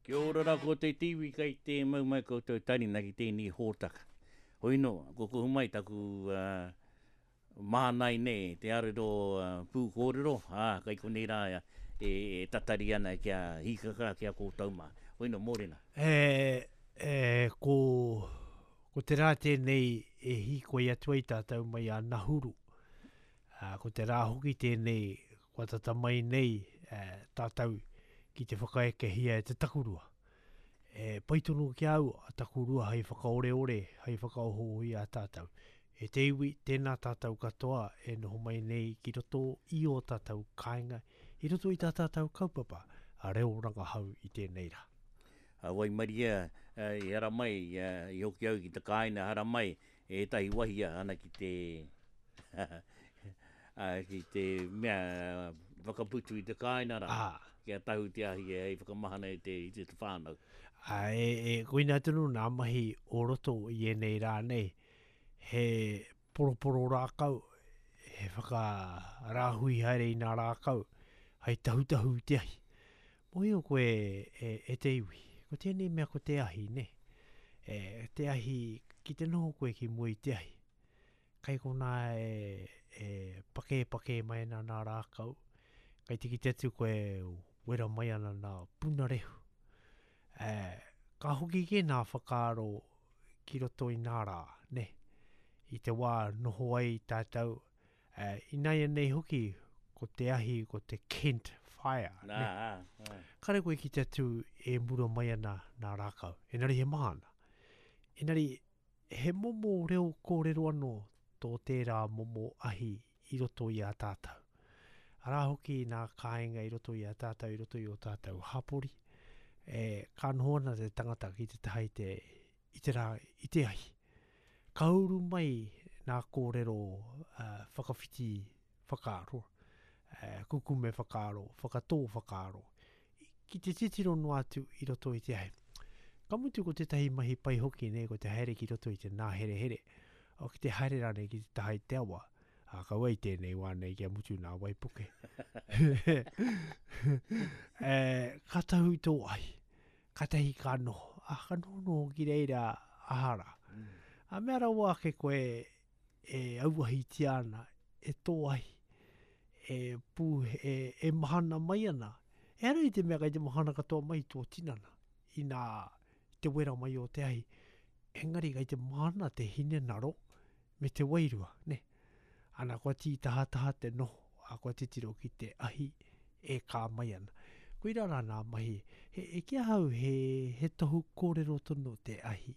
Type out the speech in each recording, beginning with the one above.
Kia ora ra ko te iwi kei te mau mai koutou tarina ki tēnei hōtaka. Hoino, kua kuhu mai taku mānai nei, te arero pūkōrero, ā, kei konei rā e tatari ana kia hīkaka ki a koutou mā. Hoino, mōrena. E, e, ko, ko te rā tēnei e hīkoi atu ai tātou mai a Nahuru. Ā, ko te rā hoki tēnei kua tata mai nei tātou ki te whakaekehia e te takurua. E pai tonu ki a au a takurua hei whakaoreore, hei whakaohooho i a tātou. E te iwi, tēnā tātou katoa e noho mai nei ki roto i ō tātou kāinga, i roto i tā tātou kaupapa a reo rangahau i tēnei rā. A waimaria i haramai, i hoki au ki te kāinga haramai, ētahi wahia ana ki te ki te mea whakaputu i te kāinga rā, kia tahu te ahi hei whakamahana i te, i te whānau. Ā, e, e, koina tonu nā mahi o roto i ēnei rā nei, he poroporo rākau, he whakarāhui haere i nā rākau, hei tahutahu i te ahi. Mōhio koe e, e te iwi, ko tēnei mea ko te ahi, nē? E, te ahi, ki te noho koe ki mua i te ahi, kai konā e, e pakēpakē mai ana nā rākau, kai te kite atu koe wera mai ana nā punarehu. E, ka hoki kē nā whakaaro ki roto i nā rā, nē? I te wā noho ai tātou, Uh, inaianei hoki, ko te ahi, ko te Kent Fire. Nā, ā, ā. Kare koe ki te atu e mura mai ana nā rākau. Engari he maha ana. Engari, he momo reo kōrero anō tō tērā momo ahi i roto i a tātou. Arā hoki nā kāinga i roto i a tātou, i roto i o tātou hapori, e, ka noho ana te tangata ki te taha i te, i te rā, i te ahi. Ka uru mai nā kōrero whakawhiti whakaaro, kukume whakaaro, whakatō whakaaro, ki te titiro noa atu i roto i te ahi. Ka mutu ko tētahi mahi pai hoki nei ko te haere ki roto i te nāherehere, o ki te haere rānei ki te taha i te awa, ā, kaua i tēnei wā nei kia mutu nā waipuke. e, ka tahu tō ahi. Katahi ka noho, a ka noho noho ki reira aha ra. A mea rawa ake koe e auahitia ana, e tō ahi, e pū, e, e mahana mai ana. Ehara i te mea kei te mahana katoa mai tō tinana, inā te wera mai o te ahi. Engari kei te mahana te hinengaro me te wairua, ne? Ana kua tītahataha te noho, a kua titiro ki te ahi e kā mai ana. Koirā rā nā mahi, he, e ki ahau he, he tohu kōrero tonu te ahi.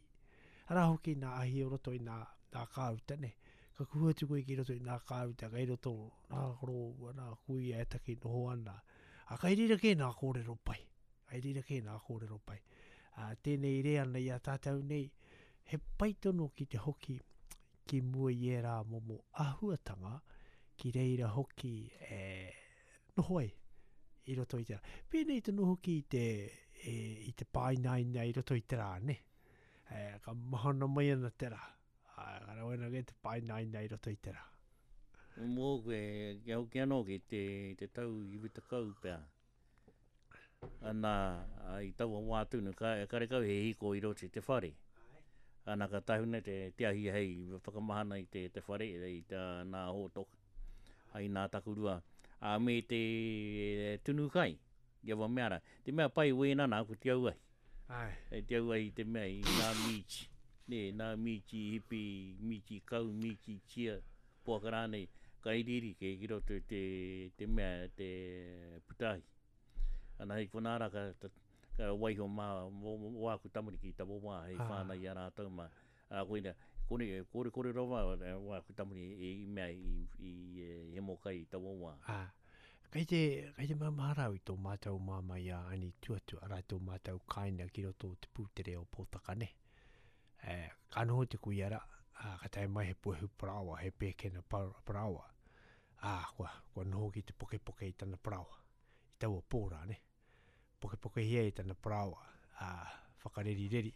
Arā hoki nā ahi o roto i nā, nā kāuta, ne? Ka kuhu atu koe ki roto i nā kāuta, kei roto nā koroua, nā kuia e taki noho ana. A kai reira kē nā kōrero pai. Kai reira kē nā kōrero pai. A, tēnei reana i a tātou nei, he pai tonu ki te hoki ki mua i ērā momo āhuatanga ki reira hoki e noho ai i roto i te rā. Pēnei tonu hoki i te, e, i te pāinaina i roto i te rā, ne? E, ka mahana mai ana te rā. Ā, ka rawe ana kē te pāinaina i roto i te rā. Mōku e, kia hoki anō ki te, te tau 90 pea. Ana, i taua wā tonu, ka, karekau he hiko i roto i te whare. Ana, ka tahuna te, te ahi hei whakamahana i te, te whare, i tā nā hōtoka, ai nā takurua, ā, me te tunu kai, i aua mea rā. Te mea pai wēnā nā, ko te auahi. Āe. E te auahi te mea i nā mīti, nē, nā mīti hipi, mīti kau, mīti tia, poaka rānei, ka iriiri kē ki roto i te, te mea, te putahi. Ana hei konā rā ka, ka waiho mā mō, mō āku tamariki i taua wā hei ah. whānau i a rātou mā. Ā, koina, kore, kore, kore rawa wāku tamariki i mea i, i, i hemo kai i taua wā. Ah. Kei te, kei te maumahara au i tō mātou māmā i a Ani Tuatua, arā tō mātou kāinga ki roto o te pūtere o Pōtaka, ne? E, ka noho te kuia rā, ā, ka tae mai he puehu paraoa, he pēkena paraoa, ā, kua, kua noho ki te pokepoke i tana paraoa, i taua pō rā, ne? Pokepokehia i tana paraoa, ā, whakarerireri,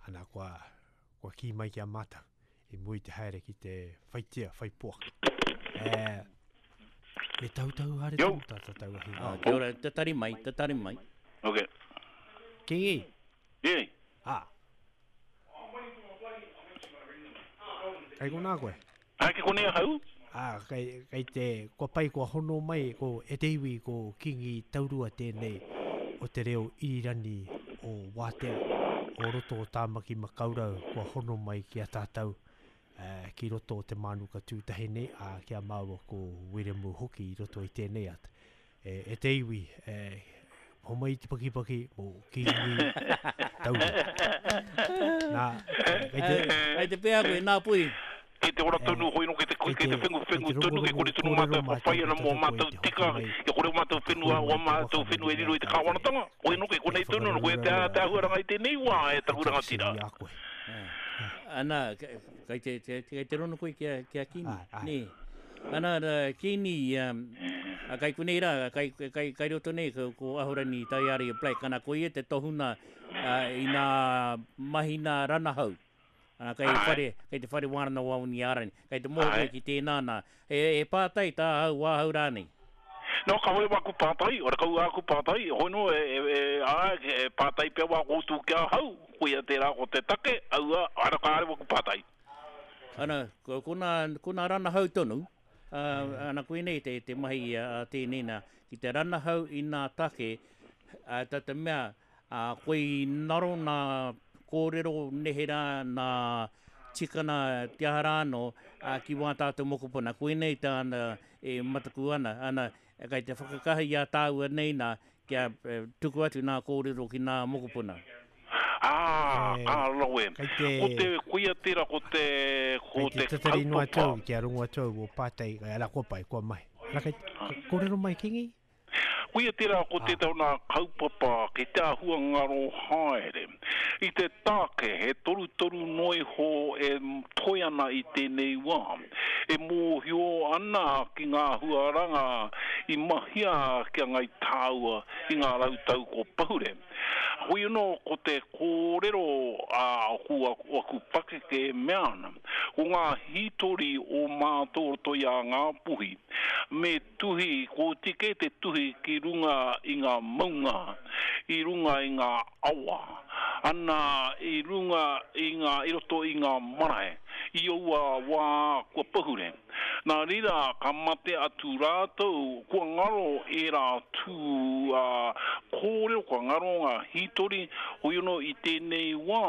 ana kua, kua kī mai ki a mātou, i mua i te haere ki te whai tia, whai poaka. E, me tahutahu haere tonu tā tātou ahi. Ah, kia ora, tatari mai, tatari mai. Okay. Kingi? Ē. Ā. Kei konā koe? Āe, kei konei ahau. Ā, kei, kei te, kua pai, kua hono mai, ko, e te iwi, ko Kingi Taurua tēnei o te reo irirani o Wātea, o roto o Tāmaki Makaurau, kua hono mai ki a tātou, ā, ki roto o te mānuka tūtahi nei, ā, ki a māua ko Wiremu hoki i roto i tēnei ata. E, e te iwi, e, homai te pakipaki mō Kīngi Taurua. Nā, kei te... Kei te pēhea koe, nā Pui? Kei te ora tonu hoi no, kei te, kei te whengu whengu tonu, kei kore tonu mātou e whawhai ana mō mātou tika, kia kore o mātou whenua, o mātou whenua e riro i te kāwanatanga. Hoi no, kei konei tonu, no, koia te, te āhuaranga i tēnei wā e taku rangatira. Ana, kei te, kei te rono koe ki a, ki a Kīngi, nē? Ana, Kīngi, a, kai konei rā, kai, kai, kai roto nei ko, ko Ahorangi Taiāria Black, ana, ko ia te tohunga a, i nā mahi nā ranahau. Ana, kai, whare, kai te whare wānanga o Aoniārani. Kai te moho koe ki tēnā nā. He, he pātai tāhau, wāhau rānei? No, kāore wāku pātai, ora kau āku pātai, hoi nō, e, e, e, āe, e pātai pea wā koutou ki ahau, koia tērā ko te take, aua, ara kāore waku pātai. Ana, ko, ko nā, ko nā ranahau tonu, ā, ana koinei te, te mahi a tēnei nā, ki te ranahau i nā take, ā, tā te mea, ā, koi naro nā kōrero neherā, nā tikana te aha rā anō, ā, ki wā tātou mokopuna. Koinei tāna e mataku ana, ana, kei te whakakaha i a tāua nei nā, kia tuku atu nā kōrero ki nā mokopuna. Ā, ka rawe. Kei te. Ko te, koia tērā ko te, ko te kaupapa. Kei te tatari noa atu au, kia rongo atu au o pātai, arā kua pai, kua mahi. Arā kei, kōrero mai Kingi? Koia tērā ko tētahi o nā kaupapa kei te āhua ngaro haere. I te tāke he torutoru noa iho e toe ana i tēnei wā. E mōhio ana ki ngā huaranga i mahia ki a Ngai Tāua i ngā rautau ko pahure. Hoi anō ko te kōrero a aku pakeke e mea ana, ko ngā hītori o mātou roto i a Ngāpuhi, me tuhi, kua oti kē te tuhi ki runga i ngā maunga, i runga i ngā awa, ana i runga i ngā, i roto i ngā marae, i aua wā kua pahure. Nā reira, ka mate atu rātou, kua ngaro ērā tū kōrero, kua ngaro ngā hītori, hoi anō i tēnei wā,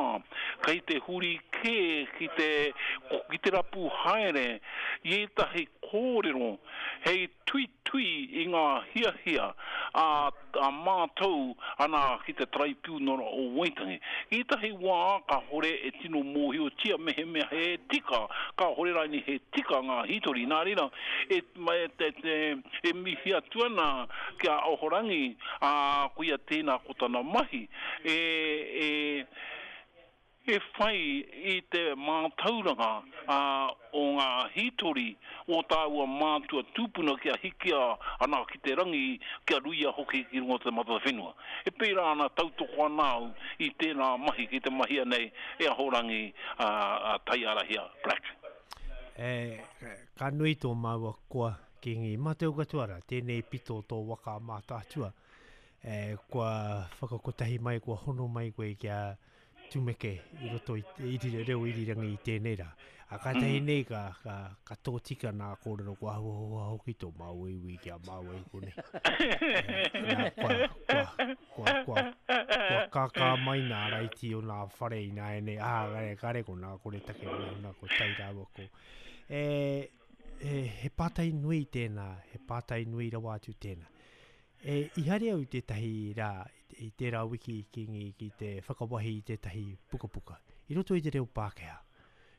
kei te huri kē ki te, ki te rapu haere i ētahi kōrero hei tuitui i ngā hiahia a a mātou ana ki te Taraipiunara o Waitangi. I ētahi wā kāore e tino mōhiotia mehemea he tika, kāore rānei he tika ngā hītori. Nā reira, e, e, e mihi atu ana ki a Ahorangi, ā, koia tēnā ko tana mahi, e, e, E whai i te mātauranga o ngā hītori o tāua mātua tūpuna kia hikia ana ki te rangi, kia ruia hoki ki runga o te mata whenua. E pērā ana, tautoko ana au i tēnā mahi ki te mahia nei e Ahorangi Taiarahia Black. E, ka nui tō māua koa, Kīngi. Mā te katoa rā, tēnei pito o tō waka a Mātaatua, e, kua whakakotahi mai, kua hono mai koe kia tumeke i roto i te iri, reo irirangi i tēnei rā. A kātahi mm. nei ka, ka, ka tōtika nā kōrero kua huahua hoki tō māua iwi ki a māua i konei. nā, kua, kua, kua, kua, kua kākā mai nā raiti o nā whare i nā ene, ā, kare, kare ko nā kore take mai nā ko tai rāua ko. E, e, he pātai nui tēnā, he pātai nui rawa atu tēnā. E, i haere au i tētahi rā, i tērā wiki Kīngi ki te whakawahi i tētahi pukapuka, i roto i te reo Pākehā.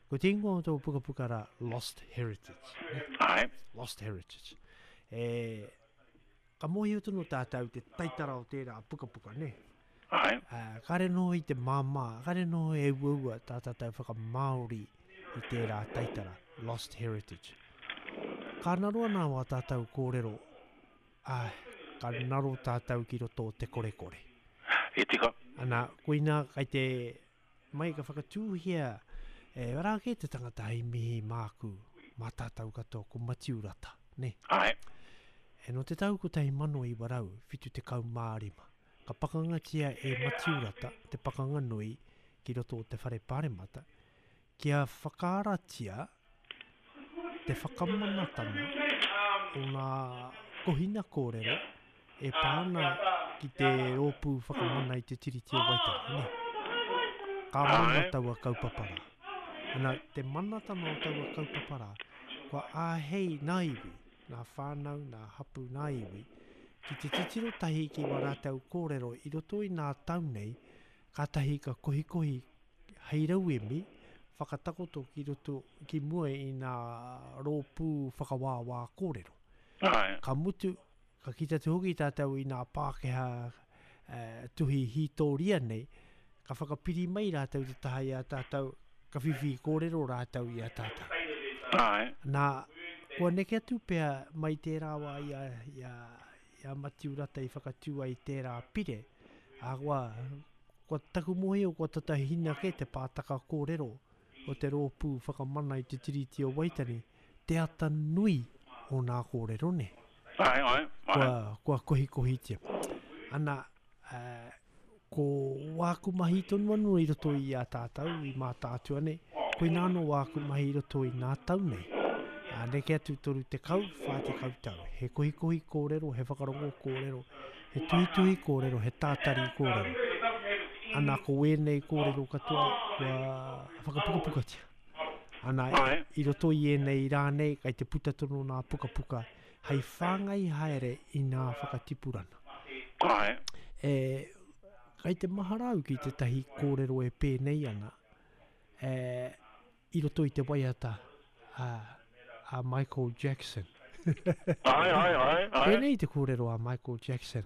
Ko te ingoa o taua pukapuka rā, Lost Heritage. Ne? Āe. Lost Heritage. E, ka mōhio tonu tātou te taitara o tērā pukapuka, ne? Āe. Uh, kāre noho i te māmā, kāre noho e uaua tā tātou whakamāori i tērā taitara, Lost Heritage. Ka ngaro ana wā tātou kōrero Āe, ka ngaro tātou ki roto o te korekore. He tika. Ana, koina kai te mai ka whakatūhia e arā kē te tangata hei mihi māku, mā tātou katoa, ko Matiu Rata, nē? Āe. E nō te tau 1975, Ka pakangatia e Matiu Rata te pakanga nui ki roto o te Whare Pāremata kia whakaaratia te whakamanatanga o ngā kohina kōrero e pā ana ki te Rōpū Whakamana i te Tiriti o Waitangi, nē. Ka mana taua kaupapa rā. Ana, te manatanga o taua kaupapa rā, kua āhei ngā iwi, ngā whānau, ngā hapū, ngā iwi, ki te titiro tahi ki wā rātou kōrero i roto i ngā tau nei, kātahi ka kohikohi hei rauemi whakatakoto ki roto, ki mua i ngā rōpū whakawāwā kōrero. Āe. Ka mutu, ka kite atu hoki tātou i ngā Pākehā tuhi hītōria nei, ka whakapiri mai rātou te taha i a tātou, ka whiwhi kōrero rātou i a tātou. Āe. Nā, kua neke atu pea mai tērā wā i a, i a, i a Matiu Rata i whakatū ai tērā pire, ahakoa, Kua taku mōhio kua tata hina kē te pātaka kōrero o te Rōpū Whakamana i te Tiriti o Waitangi, te ata nui o nā kōrero nē. Ae, ae, ae. Kua, kua kohikohitia. Ana, eh, ko wāku mahi tonu anō i roto i a tātou, i Mātaatua nei, koinā anō wāku mahi i roto i nā tau nei. Ā, neke atu 30, 40 tau. He kohikohi kōrero, he whakarongo kōrero, He tuhituhi kōrero, he tātari kōrero. Ana, ko wēnei kōrero katoa kua whakapukapukatia. Ana, i roto i ēnei rā nei, kai te puta tonu nā pukapuka hei whāngai haere i nā whakatipurana. Āe. E, kai te mahara au ki tētahi kōrero e pēnei ana, e, i roto i te waiata a, a Michael Jackson. Ae, ae, ae, ae. Pēnei te kōrero a Michael Jackson.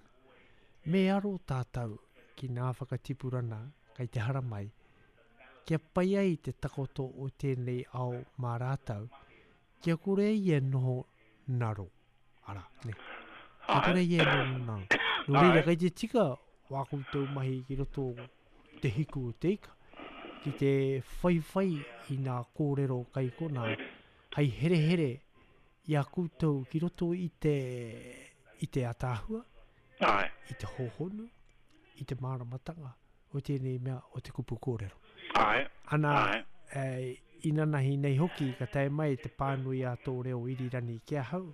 Me aro tātou ki ngā whakatipurana kei te haramai, kia pai ai te takoto o tēnei ao mā rātou, kia kore ia noho naro. Arā, ne. Kia kore ia noho naro. Nō reira, kei te tika wā koutou mahi ki roto te hiku o te ika, ki te whaiwhai i nā kōrero kai konā, hei herehere i a koutou ki roto i te, i te ataahua, Āe. i te hōhonu, i te māramatanga o tēnei mea o te kupu kōrero. Āe. Ana, Āe. e, inanahi nei hoki ka tae mai te pānui a tō reo irirangi ki ahau,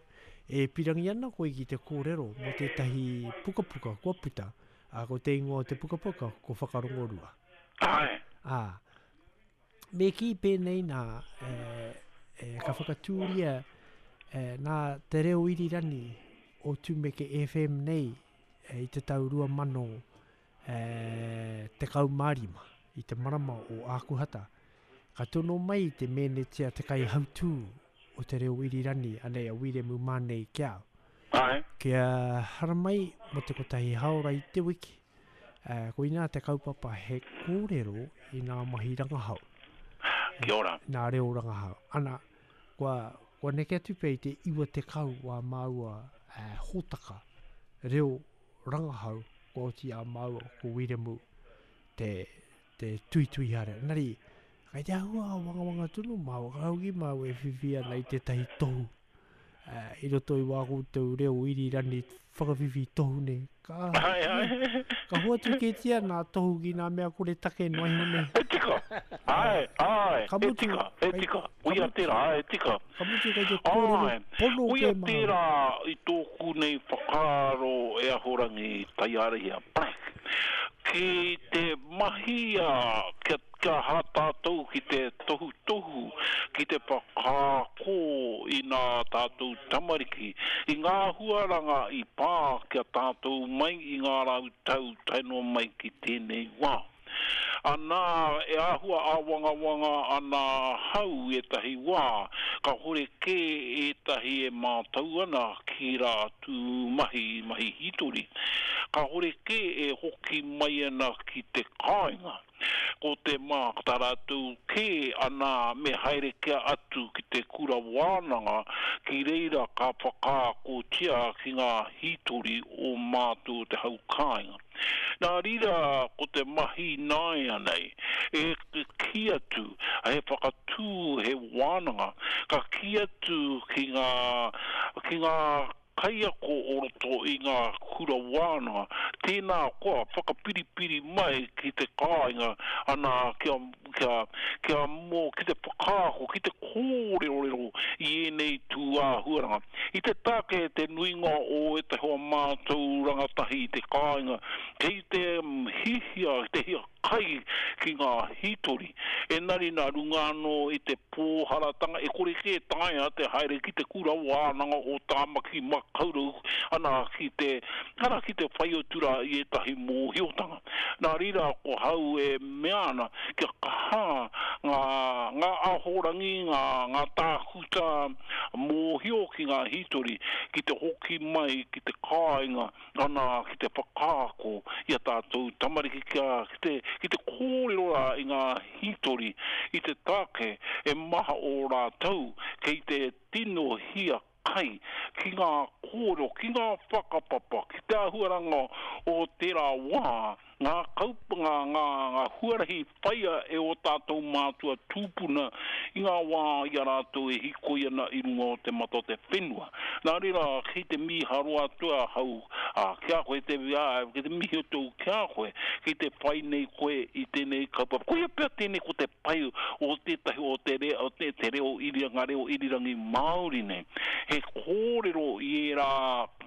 e pirangi ana koe ki te kōrero mō tētahi pukapuka kua puta, Ā, ko te ingoa o te pukapuka, ko Whakarongorua. Āe. Ā, me kī pēnei nā, e, e, ka whakatūria e, nā te reo irirangi o Tumeke FM nei e, i te tau 2000 e, 15 i te marama o Ākuhata. Ka tono mai te mēnetia te kaihautū o te reo irirangi, anei a Wiremu Mānei ki a au. Āe. Kia haramai mō te kotahi haora i te wiki. Uh, koinā te kaupapa he kōrero i ngā mahi rangahau. Kia ora. Nā reo rangahau. Ana, kua, kua neke atu pea i te 90 wā māua uh, hōtaka reo rangahau kua oti a māua ko Wiremu te, te tuitui haere. Engari, kei te āhua āwangawanga tonu māua, ka hoki māua e whiwhi ana i tētahi tohu i roto i wā koutou reo irirani whakawhiwhi tohu nei. Ka, ai, ai. ka hoatu kētia nā tohu ki nā mea kore take noa iho nei. E tika, ai, ai, Ka e mutu, tika, e kei, tika, ka uia mutu, tērā, ai, e tika. ka mutu kei te kōrero Ai, pono uia kē māua. tērā i tōku nei whakaaro e Ahorangi Taiarahia Black, ki te mahia kia Kia aha tātou ki te tohutohu, ki te whakaako i nā tātou tamariki, i ngā huaranga i pā ki a tātou mai i ngā rautau tae noa mai ki tēnei wā. Anā, e āhua āwangawanga ana ahau i ētahi wā, kāhore kē ētahi e mātau ana ki rā tū mahi, mahi hītori, kāhore kē e hoki mai ana ki te kāinga. Ko te mātaratu kē ana me haere kia atu ki te kura wānanga ki reira ka whakaakotia ki ngā hītori o mātou te hau kāinga. Nā reira ko te mahi nāianei e kī atu he whakatū he wānanga ka kī atu ki ngā ki ngā. kaiako o roto i ngā kura wānanga, tēnā koa whakapiripiri mai ki te kāinga, ana, kia, kia, kia mō, ki te whakaako, ki te kōrerorero i ēnei tū āhuaranga. I te take te nuinga o ētahi o mātou rangatahi i te kāinga, kei te hihia, te hia kai ki ngā hītori, engari nā runga anō i te pōharatanga e kore kē taea te haere ki te kura wānanga o Tāmaki Makaurau ana ki te, ana ki te whai atu rā i ētahi mōhiotanga. Nā reira ko hau e mea ana kia kaha ngā, ngā ahorangi, ngā, ngā tākuta mōhio ki ngā hītori ki te hoki mai ki te kāinga ana ki te whakaako i a tātou tamariki kia ki te, ki te kōrero rā i ngā hītori i te take e maha o rātou kei te tino hia kai ki ngā kōrero, ki ngā whakapapa, ki te āhuaranga o tērā wā ngā kaupa, ngā, ngā, ngā huarahi whaia e ō tātou mātua tūpuna i ngā wā i a rātou e hīkoi ana i runga o te mata o te whenua. Nā reira, kei te mīharo atu ahau, ā, ki a koe te, ā, kei te mihi atu au ki a koe, kei te whai nei koe i tēnei kaupapa. Koia pea tēnei ko te pai o tētahi o te reo, o te, te reo iri, ngā reo irirangi Māori nei. He kōrero i ērā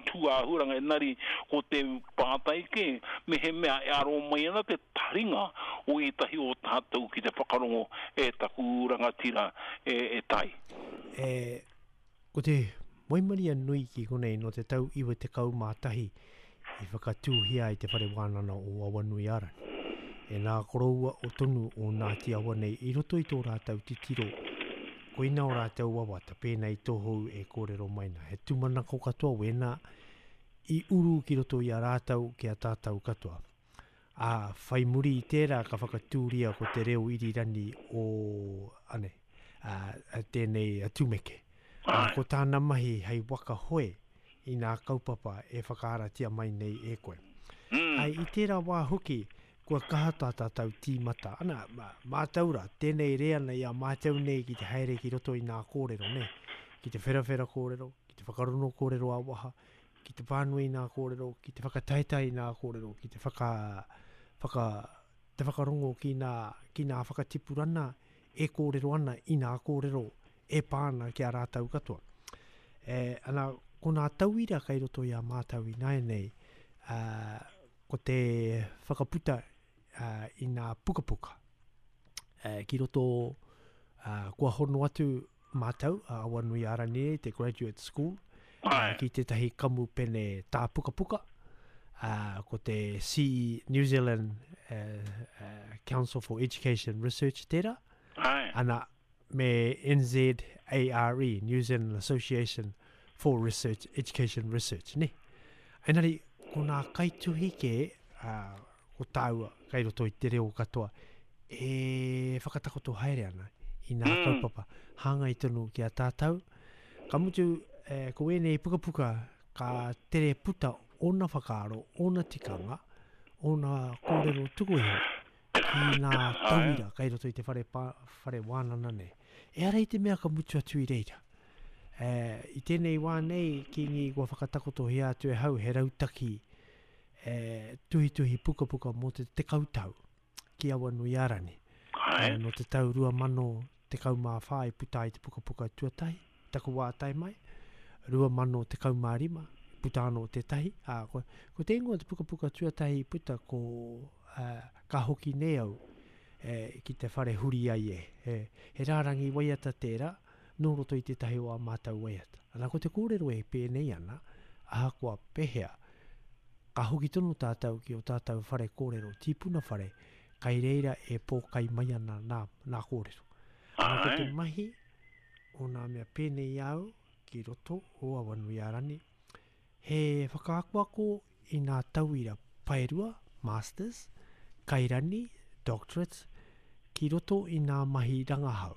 tūāhuaranga, engari ko te pātai kē, mehemea e aro mai ana te taringa o ētahi o tātou ki te whakarongo e taku rangatira e Tai. E, ko te waimaria nui ki konei nō te tau 91 i whakatūhia ai te whare wānana o Awanuiārani. E nā koroua o tonu o Ngāti Awa nei i roto i tō rātou titiro, koina o rātou wawata pēnā i tōhou e kōrero mai nā. He tūmanako katoa wēnā i uru ki roto i a rātou ki a tātou katoa. Ā, whai muri i tērā ka whakatūria ko te reo irirani o, ane, ā, tēnei a Tumeke. Ā, ko tāna mahi hei waka hoe i nā kaupapa e whakaaratia mai nei e koe. Mm. Ai, i tērā wā hoki, kua kaha tā tātou tīmata. Ana, mātou rā, tēnei reana i a mātou nei ki te haere ki roto i nā kōrero, nē? Ki te wherawhera kōrero, ki te whakarono kōrero ā-waha, ki te pānui i nā kōrero, ki te whakataetae i nā kōrero, ki te whaka, whaka, te whakarongo ki nā, ki nā whakatipurana e kōrero ana i nā kōrero e pā ana ki a rātou katoa. E, ana, ko nā tauira kei roto i a mātou ināianei, ā, ko te whakaputa ā, i nā pukapuka. E, ki roto, ā, kua hono atu mātou, a Awanuiārangi nei, te Graduate School, ā, ki tētahi kamupene tā pukapuka, ā, ko te CE New Zealand Council for Education Research tērā, ana, me NZARE, New Zealand Association for Research, Education Research, ne? Engari, ko nā kaituhi kē, ā, ko tāua kai roto i te reo katoa, e whakatakoto haere ana i nā mm. kaupapa hāngai tonu ki a tātou. Ka mutu, e, ko ēnei pukapuka ka tere puta ōna whakaaro, ōna tikanga, ōna kōrero tuku iho ki nā tauira kai roto i te whare, pa, whare wānana nei. Ehara i te mea ka mutu atu i reira. E, i tēnei wā nei, Kīngi kua whakatakotohia atu e hau he rautaki e, tuhituhi pukapuka mō te tekau tau ki Awanuiārani. Ai. Nō te tau 2014 i puta ai te pukapuka tuatahi, taku wā tae mai, 2015 puta anō tētahi. Ā, ko, ko te ingoa o te pukapuka tuatahi i puta ko uh, Ka hoki nei au e, ki te whare huri ai e. He, he rārangi waiata tērā, nō roto i tētahi o ā mātou waiata. Ana ko te kōrero e pēnei ana, ahakoa pehea, ka hoki tonu tātou ki ō tātou whare kōrero, tīpuna whare, kai reira e pōkai mai ana nā, nā kōrero. Ana ko te mahi o nā mea pēnei i a au ki roto o Awanuiārani, he whakaakoako i nā tauira paerua, masters, kairani, doctorates, ki roto i nā mahi rangahau.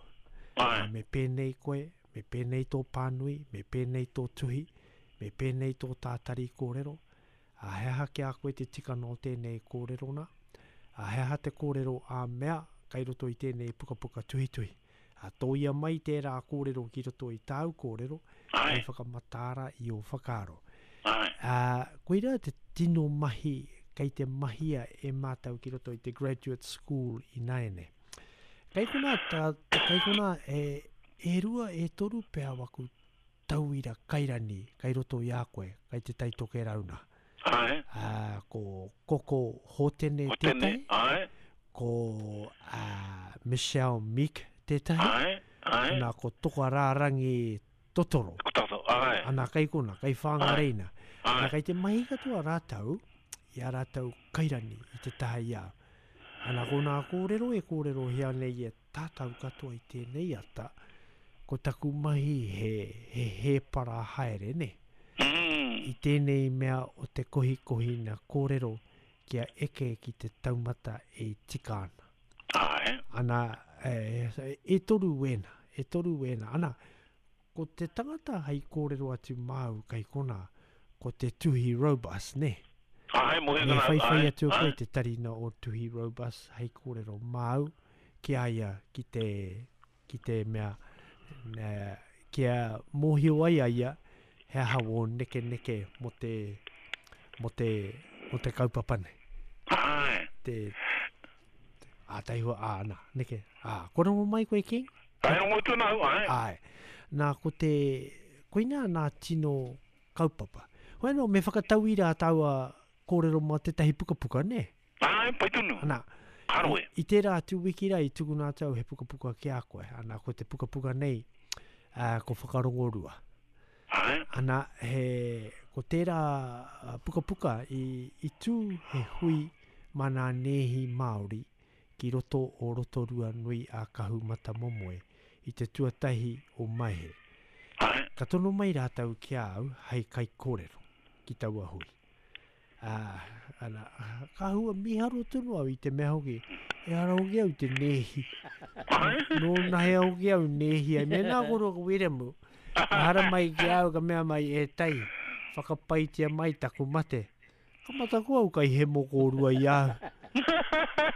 Ā, me pēnei koe, me pēnei tō pānui, me pēnei tō tuhi, me pēnei tō tātari kōrero, ā, he aha ki a koe te tikanga o tēnei kōrero nā? Ā, he aha te kōrero ā-mea kai roto i tēnei pukapuka tuhituhi? Ā, tōia mai tērā kōrero ki roto i tāu kōrero, hei whakamataara i ō whakaaro. Ā, koirā te tino mahi kei te mahia e mātou ki roto i te Graduate School ināianei. Kei konā, tā, kei konā e, e rua, e toru pea waku tauira kairani kei roto i a koe, kei Te Tai Tokerau nā. Āe. Ā, ko Koko Hōtene Hotene, tētahi. āe. Ko, ā, Michelle Meek tētahi. Āe, āe. Ana, ko Tokarārangi Totoro. Ko Toto, āe. Ana, kei kona, kei Whangarei nā. Āe. Ana, kei te mahi katoa rātou i ā rātou kairani i te taha i a au. Ana, ko nā kōrero e kōrerohia nei e tātou katoa i tēnei ata, ko taku mahi he, he hēpara haere, nē? I tēnei mea o te kohikohina kōrero kia eke ki te taumata e tika ana. Āe. Ana, e, e toru wēnā, e toru wēnā. Ana, Ko te tangata hei kōrero atu māu kei konā, ko te Tuhi Robus, nē? Āe, moe Me ana, whaiwhai āe, atu koe āe. te tarina o Tuhi Robus hei kōrero māu ki a ia ki te, ki te mea, nē, kia mōhio ai a ia he aha wō nekeneke mō te, mō te, mō te kaupapa nei. Āe. Te, te, ā, taihoa, ā, nā, neke, ā, kua rongo mai koe, King? Āe, rongo atu ana au, āe. Āe. Nā, ko te, koinā nā tino kaupapa. Hoi anō, me whakatauira tāua kōrero mā tētahi pukapuka, nē? Āe, pai tonu. Ana, Ka roe. i, i tērā atu wiki rā i tukuna atu au he pukapuka ki a koe. Ana, ko te pukapuka nei, ā, ko Whakarongorua. Āe. Ana, he, ko tērā pukapuka i, i tū he hui mā nā nēhi Māori ki roto o Rotorua nui a Kahumatamomoe i te tuatahi o Maehe. Ka tono mai rātou ki a au hei kaikōrero ki taua hui. Ā, ana, ka hua mīharo tonu au i te mea hoki, ehara hoki au i te nēhi. Nōnahea hoki au nēhi ai. Mēnā koro ko Wiremu, ka haramai ki a au ka mea mai, e Tai, whakapaitia mai taku mate. Ka mataku au kai hemo kōrua i a au.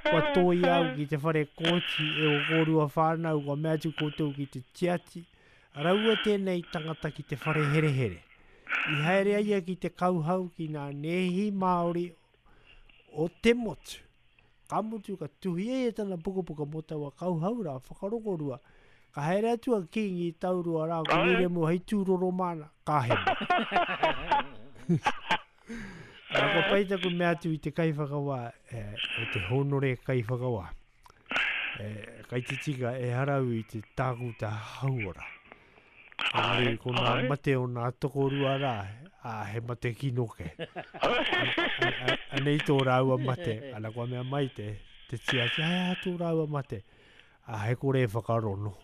Kua tōia au ki te whare kōti e o kōrua whānau, kua mea atu koutou ki te tiati. Raua tēnei tangata ki te whare herehere. I haere ai ia ki te kauhau ki nā nēhi Māori o te motu. Ka mutu, ka tuhia e tana pukapuka mō taua kauhau rā, whakarongorua. Ka haere atu a Kīngi Taurua rā ko Wiremu hei tūroro māna, ka hemo. Nā, kua pai taku mea atu i te kaiwhakawā, e, e te hōnore kaiwhakawā. E, kai te tika, ehara au i te tākuta hauora. Engari, ko nā mate o nā tokorua rā, ā, he mate kino ke. Anei tō rāua mate, ana kua mea mai te, te tiaki, hei aha tō rāua mate? Ā, he kore e whakarono.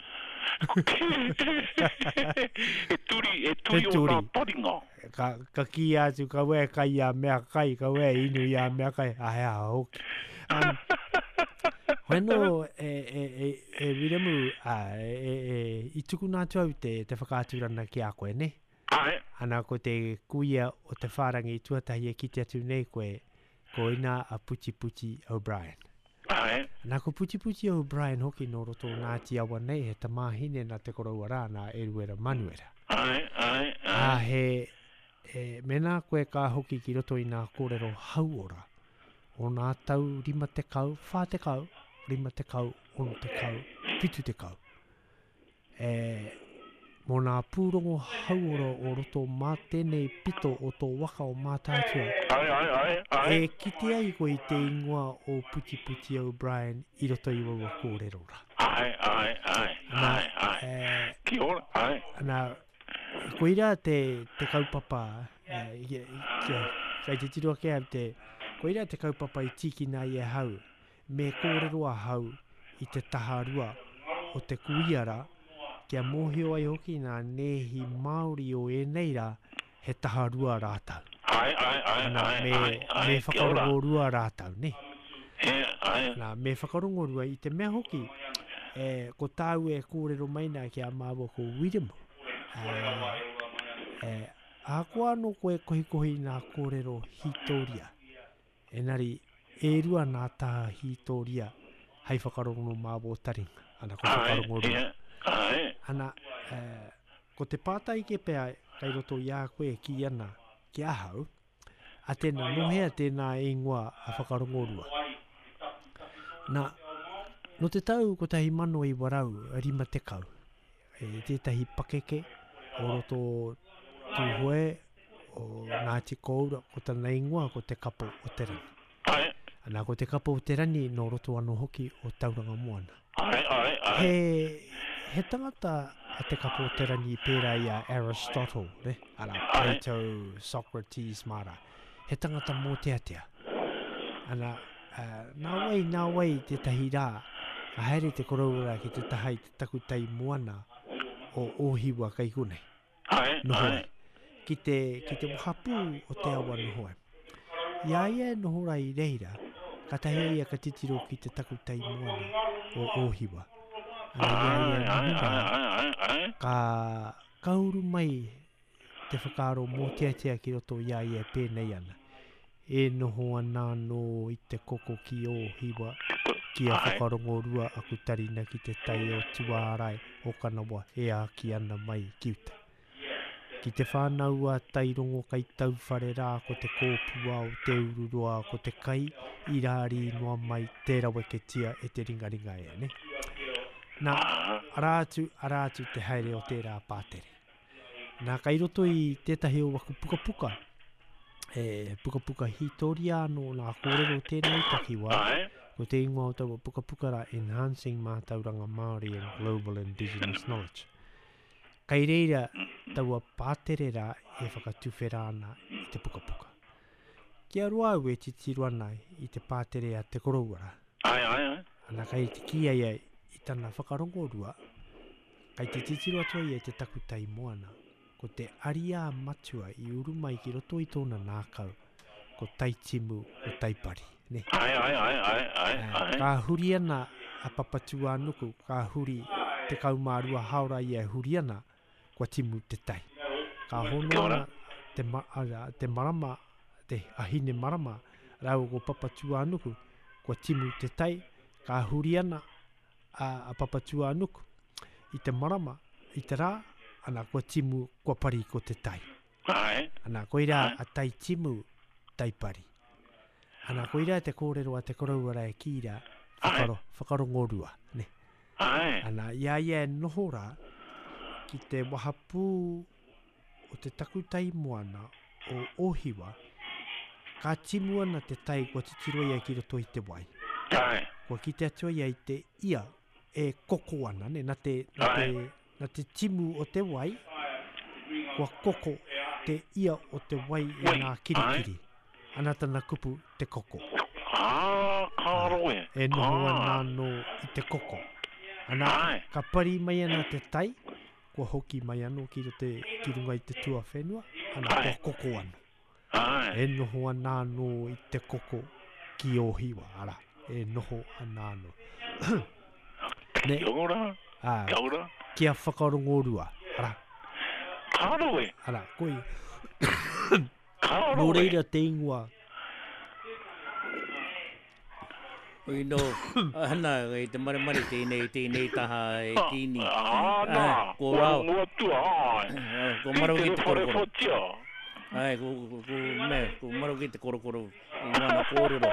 He turi, he turi o nā taringa. Ka, ka kīia atu, kaua e kai i a mea kai, kaua e inu i a mea kai, ā, he aha hoki. Um, hoi anō, e, e, e, e Wiremu, ā, e, e, e, i tukuna atu au te, te whakaaturana ki a koe, nē? Āe. Ana, ko te kuia o te whārangi tuatahi e kite atu nei koe, koina a Putiputi O'Brien. Āe. Nā, ko Putiputi O'Brien hoki nō roto o Ngāti Awa nei, he tamāhine nā te koroua rā, nā Eruera Manuera. Āe, āe, āe. Ā, he, he, mēnā koe ka hoki ki roto i nā kōrero hauora o nā tau 50, 40, 50, 60, 70, E, mō nā pūrongo hauora o roto mā tēnei pito o tō waka o Mātaatua, Ae, ae, ae, ae. e kite ai koe i te ingoa o Putiputi O'Brien i roto i waua kōrero rā. Ae, ae, ae, Ana, ae, ae. e, Kia ora, ae. ana, koirā te, te kaupapa, e, kia, kai te tiro ake au te, koirā te kaupapa i tīkina ai e hau, Me kōrero ahau i te taha rua o te kuia rā, kia mōhio ai hoki ngā nēhi Māori o ēnei rā, he taha rua rātou. Ae, ae, ae, Ana, ae, me, ae, ae, me kia ora. whakarongo rua rātou, nē? He, ae. Ana, me whakarongo rua i te mea hoki, e, ko tāu e kōrero mai nā ki a māua ko Wiremu, e, e, ahakoa anō koe kohikohi i ngā kōrero hītōria, Engari, e rua nā taha hītōria hei whakarongo mā wō taringa, ana ko Āe, whakarongo rua. ia, Āe. Ana, ko te pātai ke pea kei roto i a koe e kī ana ki ahau, a tēnā, nō hea tēnā ingoa a Whakarongorua? Nā, nō te tau 1950, e tētahi pakeke o roto o Tūhoe, o Ngāti Kōura, ko tana ingoa ko Te Kapo o Te Rani. Ae. Ana, ko Te Kapo o Te Rani nō roto anō hoki o Tauranga Moana. Ae, ae, ae. He, he tangata a Te Kapo o Te Rani pērā i a Aristotle, ne? Arā, Plato, Socrates mā rā. He tangata mōteatea. Ana, uh, nā wai, nā wai tētahi rā, ka haere te koroua rā ki te taha i te takutai moana o Ōhiwa kei konei. Ae, Noho ai. Ki te, ki te wahapū o te awa noho ai. I a ia e noho ra i reira, katahi a ia ka titiro ki te takutai moana o Ōhiwa. Ana i a ia e noho ra, ka, ka uru mai te whakaaro mōteatea ki roto i a ia e pēnei ana, E noho ana anō i te koko ki Ōhiwa, ki a Whakarongorua aku tarina ki te tai o Tuārae o Kanawa e āki ana mai ki uta. Ki te whānau a Tairongo kai tauwhare rā ko te kōpua o Te Ururoa ko te kai i rārī noa mai tē raweketia e te ringaringa e, nē? Nā, arā atu, arā atu te haere o tērā pātere. Nā, kai roto i tētahi o waku pukapuka, e pukapuka hītoria anō nā kōrero tēnei takiwā, ko te ingoa o taua pukapuka rā Enhancing Mātauranga Māori and Global Indigenous Knowledge. Kai reira taua pātere rā e whakatuwhera ana i te pukapuka. Kia roa au e titiro ana i te pātere a te koroua rā. Ai, ai, ai. Ana kai te kī ai ai i tana whakarongorua, Kai te titiro atu a ia i te takutai moana, ko te ariā matua i uru mai ki roto i tōna nākau, ko Taitimu, ko Taipari, nē? Ae, ae, ae, ae, ae, ae. Ka huri ana a Papatūānuku, ka huri 12 haora ia e huri ana, kua timu te tai. Ka hono ana te, ma, ara, te marama, te, a Hinemarama rāua ko Papatūānuku, kua timu te tai, ka huri ana, a, a Papatūānuku i te marama, i te rā, ana, kua timu, kua pari ko te tai. Ae. Ana, koirā a tai timu, tai pari. Ana, koirā te kōrero a te koroua rā e kī rā, whakaro, whakarongorua, ne. Ae. Ana, i a ia e noho rā, ki te wahapū o te takutai moana o Ōhiwa, ka timu ana te tai kua titiro ia ki roto i te wai. Ae. Kua kite atu ia i te ia e koko ana, ne, na te, na te, na te timu o te wai, kua koko te ia o te wai i ngā kirikiri. Ana tana kupu, te koko. Ā, ka roe. E noho ana anō i te koko. Ana, ka pari mai ana te tai, kua hoki mai anō ki roto ki runga i te tuawhenua, ana, kua koko anō. Āe. E noho ana anō i te koko ki Ōhiwa, arā, e noho ana anō. Ne? Kia ora, Ā, kia ora. Kia whakarongorua, arā. Ka roe. Arā, koia. Ka Nō roe. reira te ingoa. Oi no, ana, i te maremare tēnei, tēnei taha e kīni. Ā, nā, Ko kua rā. rongo atu, āe. Ko maro ki te korokoro. Whatia. Ai, ko, ko, ko, me, ko maro ki te korokoro i wana kōrero.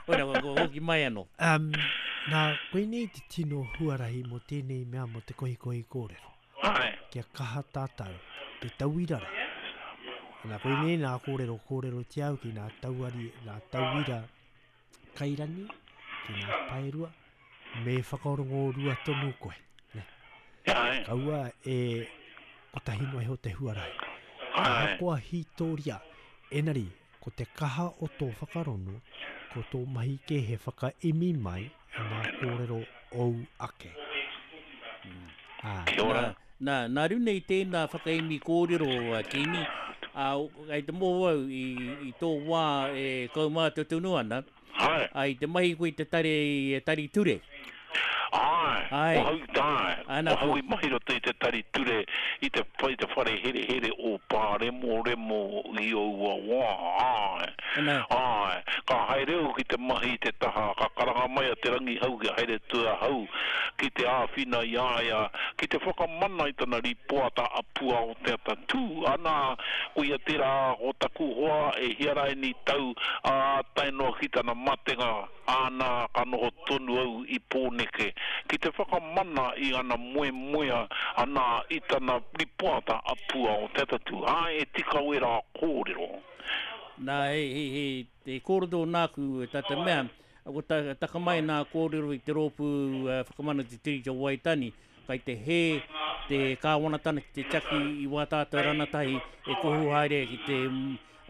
Koina, ko, ko hoki mai anō. Um, nā, koinei te tino huarahi mō tēnei mea mō te kohikohi kōrero. Āe. Kia kaha tātou, te tauira rā. Nā, koinei nā kōrero kōrerotia au ki nā tauari, nā tauira kairangi, ki nā paerua, me whakarongo rua tonu koe. Ne? Āe. Kaua e kotahi noa iho te huarahi. Āe. Ahakoa hītoria, enari, ko te kaha o tō whakarono, ko tō mahi kē he whakaemi mai i ngā kōrero ōu ake. Ā. Kia ora. Nā, nā runga i tēnā whakaemi kōrero a Kīngi, ā, kei te mōhio au i, i tō wā e kaumātua tonu ana, Āe. ā, i te mahi koe i te tari, tari ture. Āe, Āe. ko hau, āe, Āna, ko hau ko. i mahi roto i te tari ture i te, i te whare herehere o Pāremoremo i aua wā, āe, Ana. āe. Ka haere au ki te mahi i te taha, ka karanga mai a Te Rangihau kia haere atu ahau ki te āwhina i a ia ki te whakamana i tana rīpoata a Puaoteata Tū, ana, koia tērā ko taku hoa e hia raini tau, ā, tae noa ki tana matenga. Āna, ka noho tonu au i Pōneke ki te whakamana i ana moemoea, anā, i tana ripoata a Pua o Te Atatū. Āe, e tika wērā kōrero. Nā, he, he, he, he kōrero nāku tā te mea, ko ta, taka mai nā kōrero i te rōpū Whakamana Te Tiriti o Waitangi, kai te hē te kāwanatana ki te tiaki i wā tātou ranatahi e kuhu haere ki te,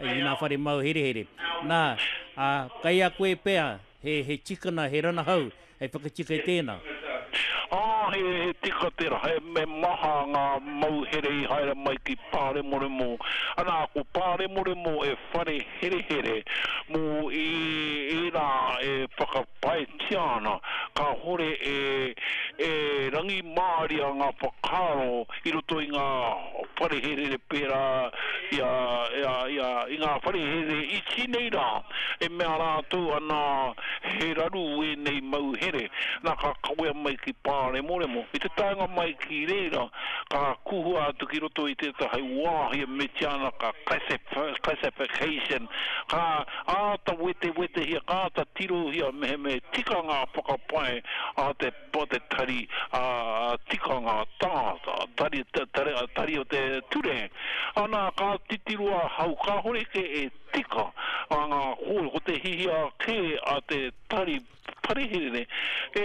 i ngā whare mau herehere. Nā, ā, kei a koe pea he, he tikana, he ranahau hei whakatika i tēnā. Ā, he, he tika tērā, he, he maha ngā mauhere i haere mai ki Pāremoremo. Anā, ko Pāremoremo e whare herehere mō ē, ērā e whakapaetia ana, kāhore e, e rangimāria ngā whakaaro i roto i ngā whare herehere pērā i a, i a, i a, i ngā whare herehere iti nei rā, e mea rātou ana he raru ēnei mau here, nā ka kawea mai ki Pāremoremo. I te taenga mai ki reira, ka kuhua atu ki roto i tētahi wāhi e metia ana ka classification, ka āta wetewetehia, ka āta tirohia mehemea he tika ngā whakapae a te o te tari tikanga tangata, tari, tari, tari o te ture. Ana, ka titiro ahau, kāhore kē e tika a ngā kōrero, ko te hihia kē a te tari pareherere, e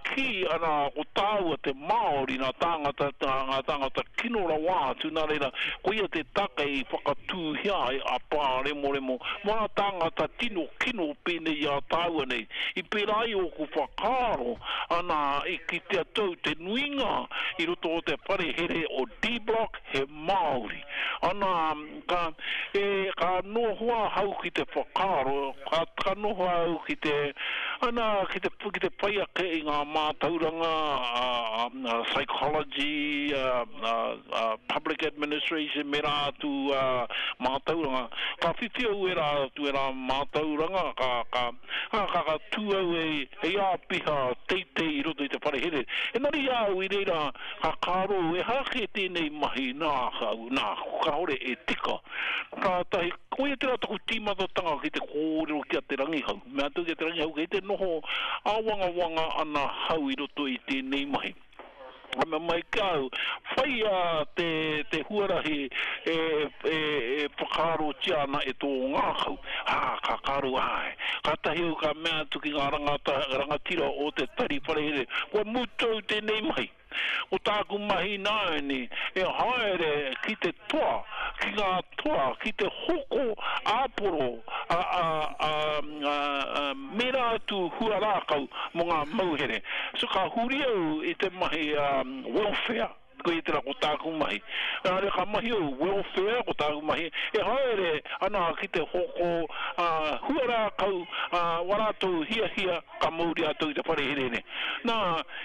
kī ana ko tāua te Māori, nā tāngata, ngā tāngata kino rawa atu, nā reira, koia te take i whakatūhia ai a Pāremoremo mō ngā tāngata tino kino pēnei i a tāua nei. I pērā ai ōku whakaaro, ana, i kitea tou te nuinga i roto o te whare here o D-Block he Māori. Ana, ka, e, ka noho ahau ki te whakaaro, ka, ka noho au ki te, ana, ki te, ki te whai ake i ngā mātauranga, a, a, psychology, a, a, a, public administration me rā atu, a, mātauranga. Ka whiwhi au ērā atu ērā mātauranga, ka, ka, Ā, ka, ka tū au hei, hei āpiha teitei i roto i te whare here. Engari i a au i reira, ka kāro, ehara kē tēnei mahi nāku, nāku, kāore e tika. Kātahi, koia tērā taku tīmatatanga ki te kōrero ki a Te Rangihau. Mea atu ki a Te Rangihau, kei te noho āwangawanga ana hau i roto i tēnei mahi. Ka mea mai ki a au, Whaia te, te huarahi e, e, e whakaarotia ana e tō ngākau. Ā, ka karo, āe. Kātahi au ka mea atu ki ngā rangata, rangatira o te tari whare here, Kua mutu au tēnei mahi. Ko tāku mahi ināianei, e haere ki te toa, ki ngā toa, ki te hoko āporo, ā, ā, ā, ā, mērā atu hua rākau mō ngā mauhere. So ka huri au i te mahi welfare, koia tērā ko tāku mahi. Nā reira ka mahi au welfare, ko tāku mahi, e haere ana ki te hoko hua rākau, wā rātou hiahia ka mauria atu i te whare herehere. Nā,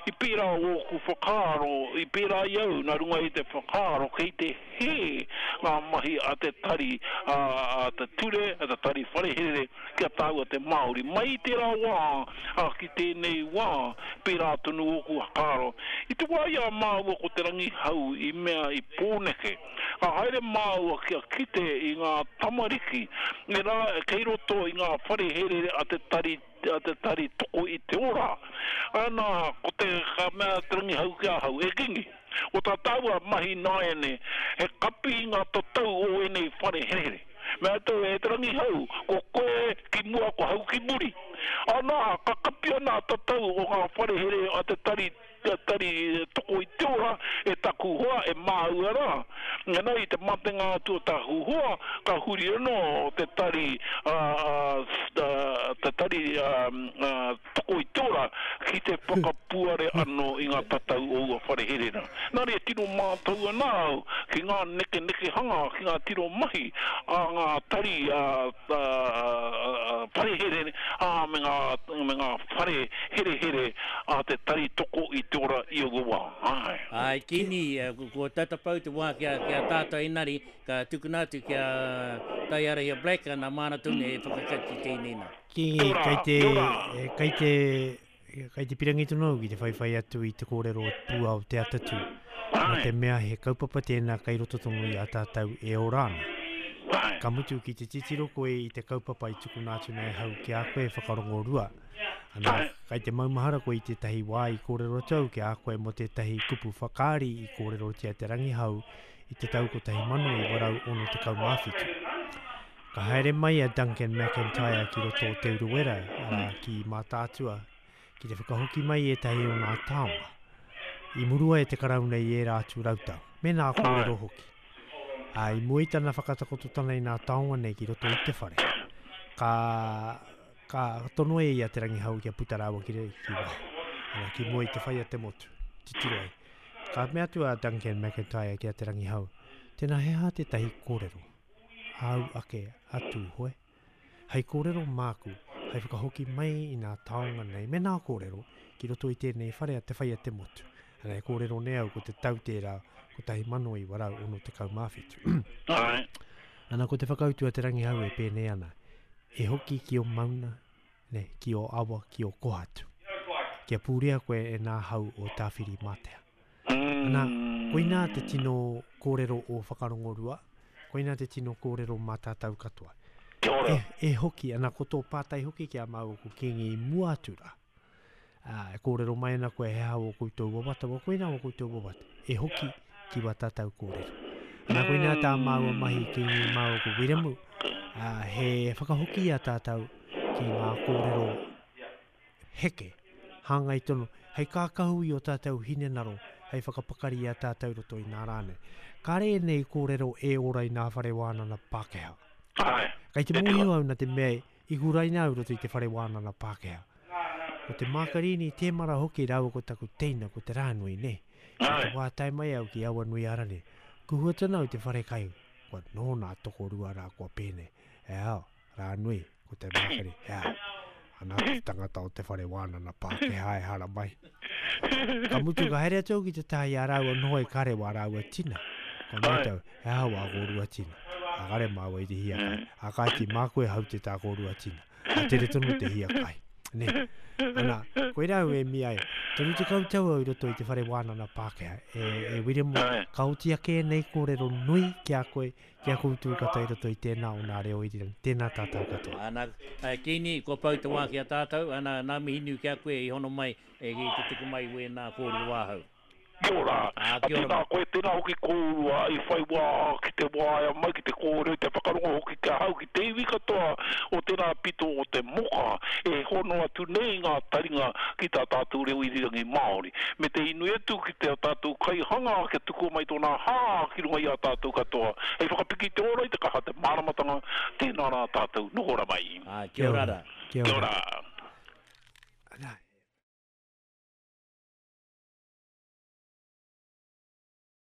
i pērā ōku whakaaro, i pērā i au nā runga i te whakaaro kei te hē ngā mahi a te tari, a te ture, a te tari whare herehere ki a tāua te Māori. Mai i tērā wā, ā, ki tēnei wā, pērā tonu ōku whakaaro. I te wā i a māua ko Te Rangihau i mea i Pōneke, ka haere māua kia kite i ngā tamariki, ērā kei roto i ngā whare herehere a te tari, a te tari toko i te ora. Ana, ko te, ka mea a Te Rangihau ki ahau, E Kingi, ko tā tāua mahi nāiane, he kapi i ngā tatau o ēnei whare herehere. Mea atu e Te Rangihau, ko koe ki mua, ko hau ki muri. Ana, ka kapia nā tatau o ngā whare here a te tari, tari toko i te ora e taku hoa, e māua rā. Engari i te matenga atu o taku hoa, ka huri anō te tari, te tari toko i te ora ki. ki te whakapuare anō i ngā tatau o ua whare here rā. Nā reira tino mātau ana au ki ngā nekenekehanga, ki ngā tino mahi a ngā tari whare here, ā, me ngā, me ngā whare herehere a te Tari Toko i te Ora i aua wā. Āe. Āe, Kini, kua tata pau te wā ki a, ki a tātou engari ka tukuna atu ki a Taiarahia Black, nā māna tonu e whakakati tēnei nā. Kingi, kei te, kei te, kei te pirangi tonu au ki te whaiwhai atu i te kōrero o te pūao Te Atatū. Nā te mea he kaupapa tēnā kei roto tonu i a tātou e ora ana. Ka mutu ki te titiro koe i te kaupapa i tukuna atu nei ahau ki a koe whakarongorua. Ana, kei te maumahara koe i tētahi wā i kōrero atu au ki a koe mō tētahi kupu whakaari i kōrerotia Te Rangihau i te tau 1967. Ka haere mai a Duncan McIntyre ki roto o Te Urewera, arā, ki Mātaatua, ki te whakahoki mai i ētahi o ngā taonga i murua e te Karauna i ērā atu rautau, me nā kōrero hoki. Ā, i mua i tana whakatakototana i nā taonga nei ki roto i te whare, ka, ka tono e ia Te Rangihau kia puta rāua ki, ki waho, arā, ki mua i te whai a te motu, titiro ai. Ka mea atu a Duncan McIntyre ki a Te Rangihau, Tēnā he aha tētahi kōrero? āu ake a Tūhoe, hei kōrero māku, hei whakahoki mai i nā taonga nei me nā kōrero ki roto i tēnei whare a Te Whai a te Motu. Ana e kōrero nei au ko te tau tērā 1967. Āe. Ana ko te whakautu a Te Rangihau e pēnei ana, E hoki ki o mauna, ne, ki o awa, ki o kohatu. Kia pūrea koe e nā hau o Tāwhirimātea. Ana, koinā te tino kōrero o Whakarongorua, koinā te tino kōrero mā tātou katoa. Kia ora. E, e hoki, ana ko tō pātai hoki ki a māua ko Kīngi i mua atu rā. Ā, e kōrero mai ana koe he aha wō koutou wawata, wa koinā wō koutou wawata, e hoki ki wā tātou kōrero. Ana koinā tā māua mahi Kīngi māua ko Wiremu, ā, he whakahoki i a tātou ki ngā kōrero heke, hāngai tonu, hei kākahu i ō tātou hinengaro, hei whakapakari i a tātou i roto i nā rā nei. Kāre ēnei kōrero e ora i nā whare wānana Pākehā. Āe. Kei te mōhio au nā te mea i huraina au i roto i te whare wānana Pākehā. Ko te Mākarini Tēmara hoki rāua ko taku teina ko Te Rānui, nē. I te wā tae mai au ki Awanuiārani, kuhua tonu au i te wharekai, kua nōna tokorua rā kua pēnei, e ao, Rānui, ko te mākari, he aha? Ana te tangata o te whare wānana Pākehā e haramai. Ka mutu ka haere atu au ki te taha i a rāua noho e kare wā rāua tina. Ko mātou, he aha wā kōrua tina? A kare māua i te hiakai. A kāti, māku e haute tā kōrua tina. A tere tonu te hiakai. Nē. Ana, koirā au e mī ai, 30 tau au i roto i te whare wānana Pākehā. E, e Wiremu, ka oti ake ēnei kōrero nui ki a koe, Ki a koutou katoa i roto i tēnā o nā reo irirangi, tēnā tātou katoa. Ana, e Kini, kua pau te wā ki a tātou, ana, nā mihi nui ki a koe i hono mai e ki te tuku mai i wēnā kōrero āhau. Kia ora. Ā, kia ora Tēnā mai. koe, tēnā hoki kōrua i whai wā ki te waea mai, ki te kōrero, te whakarongo hoki ki ahau, ki te iwi katoa o tērā pito o te moka e hono atu nei ngā taringa ki tā tātou reo irirangi Māori. Me te inoi atu ki te tātou Kaihanga kia tukua mai tōna hā ki runga i a tātou katoa, hei whakapiki i te ora, i te kaha, te māramatanga, tēnā rā tātou, noho ra mai. Āe, kia ora rā. Kia ora. Ana.